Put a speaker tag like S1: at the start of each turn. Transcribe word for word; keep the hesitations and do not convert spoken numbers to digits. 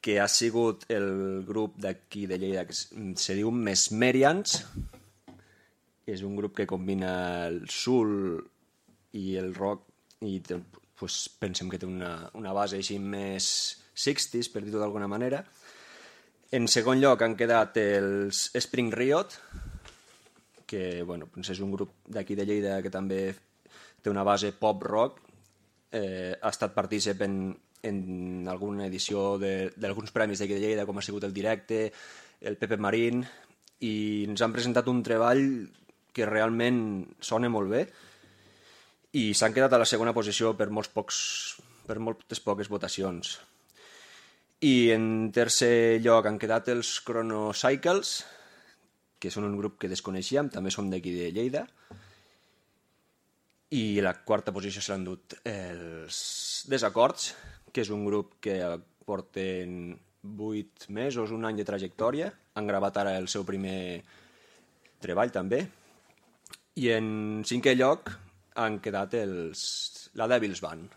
S1: que ha sigut el grup d'aquí de Lleida que se diu Mesmerians. És un grup que combina el soul i el rock i té, pues, pensem que té una, una base així més seixanta, per dir-ho d'alguna manera. En segon lloc han quedat els Spring Riot, que bueno, doncs és un grup d'aquí de Lleida que també té una base pop-rock. Eh, ha estat partícip en, en alguna edició d'alguns premis d'aquí de Lleida, com ha sigut el Directe, el Pepe Marín, i ens han presentat un treball que realment sona molt bé i s'han quedat a la segona posició per, molts pocs, per moltes poques votacions. I en tercer lloc han quedat els Chronocycles, que són un grup que desconeixíem, també són d'aquí de Lleida. I a la quarta posició se l'han dut els Desacords, que és un grup que porten vuit mesos, un any de trajectòria. Han gravat ara el seu primer treball, també. I en cinquè lloc han quedat els, la Devil's Band.